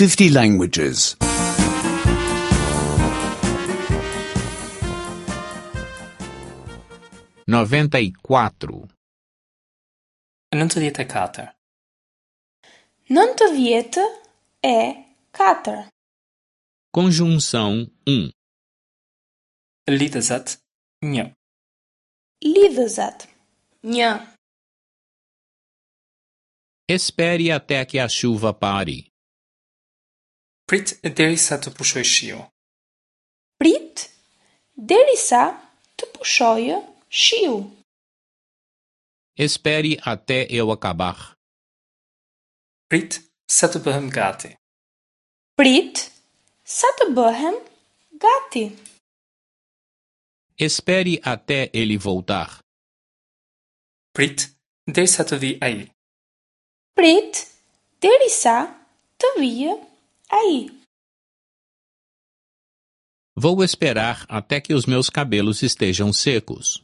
50 languages. 94. 94. 94. Conjunção 1. Lidhëzat 1. Lidhëzat 1. Espere até que a chuva pare. Prit derisa të pushojë shiu. Prit derisa të pushojë shiu. Espere até eu acabar. Prit sa të bëhem gati. Prit sa të bëhem gati. Espere até ele voltar. Prit derisa të vijë ai. Prit derisa të vijë ai. Vou esperar até que os meus cabelos estejam secos.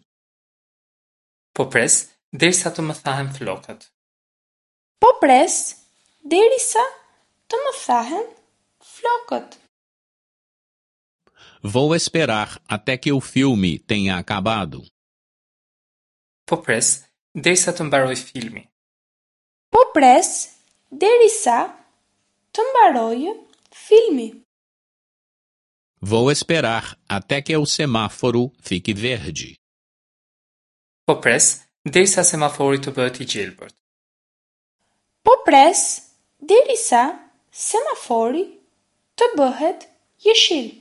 Po pres derisa të më thahen flokët. Po pres derisa të më thahen flokët. Vou esperar até que o filme tenha acabado. Po pres derisa të mbarojë filmi. Po pres derisa të mbarojë filmi. Vou esperar até que o semáforo fique verde. Po pres derisa semafori të bëhet i gjelbërt. Po pres derisa semafori të bëhet jeshil.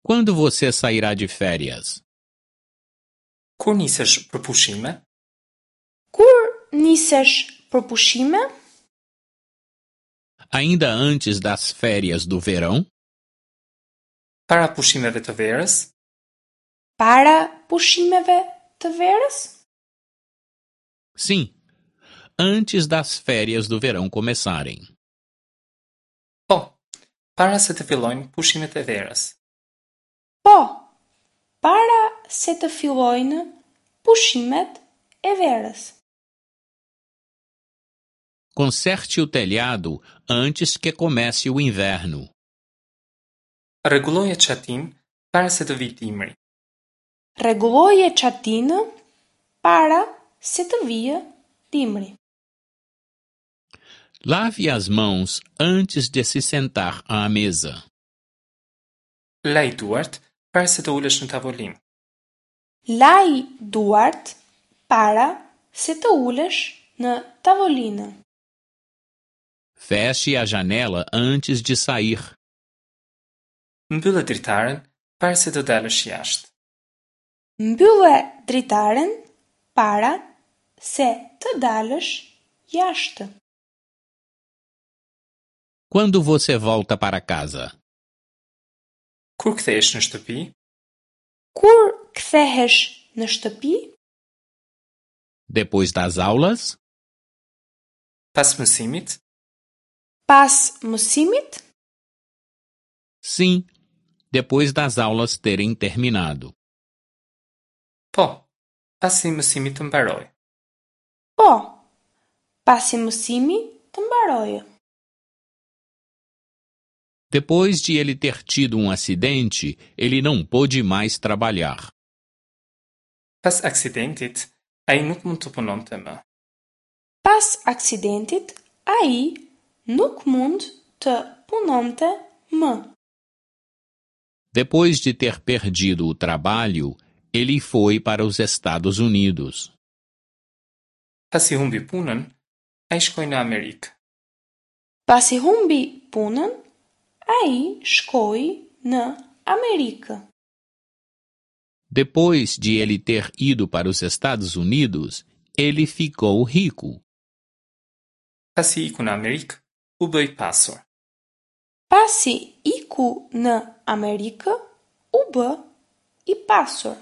Quando você sairá de férias? Kur nisesh për pushime? Kur nisesh për pushime? Ainda antes das férias do verão? Para pushimeve të verës? Para pushimeve të verës? Sim, antes das férias do verão começarem. Po, para se të fillojnë pushimet e verës. Po, para se të fillojnë pushimet e verës. Conserte o telhado antes que comece o inverno. Rregulloje çatinë para se të vijë dimri. Rregulloje çatinë para se të vijë dimri. Lave as mãos antes de se sentar à mesa. Laj duart para se të ulesh në tavolinë. Laj duart para se të ulesh në tavolinë. Feche a janela antes de sair. Mbylle dritaren para se të dalësh jashtë. Mbylle dritaren para se të dalësh jashtë. Quando você volta para casa? Kur kthehesh në shtëpi? Kur kthehesh në shtëpi? Depois das aulas? Pas mësimit? Pas mësimit? Sim, depois das aulas terem terminado. Po, pasi mësimi të mbarojë. Po, pasi mësimi të mbarojë. Depois de ele ter tido um acidente, ele não pôde mais trabalhar. Pas aksidentit, ai nuk mund të punonte më. Pas aksidentit, ai nuk mund të punonte më. Depois de ter perdido o trabalho, ele foi para os Estados Unidos. Pasi humbi punën, ai shkoi në Amerikë. Pasi humbi punën, ai shkoi në Amerikë. Depois de ele ter ido para os Estados Unidos, ele ficou rico. Pasi iku në Amerikë, u bë i pasur. Pasi iku në Amerikë, u bë i pasur.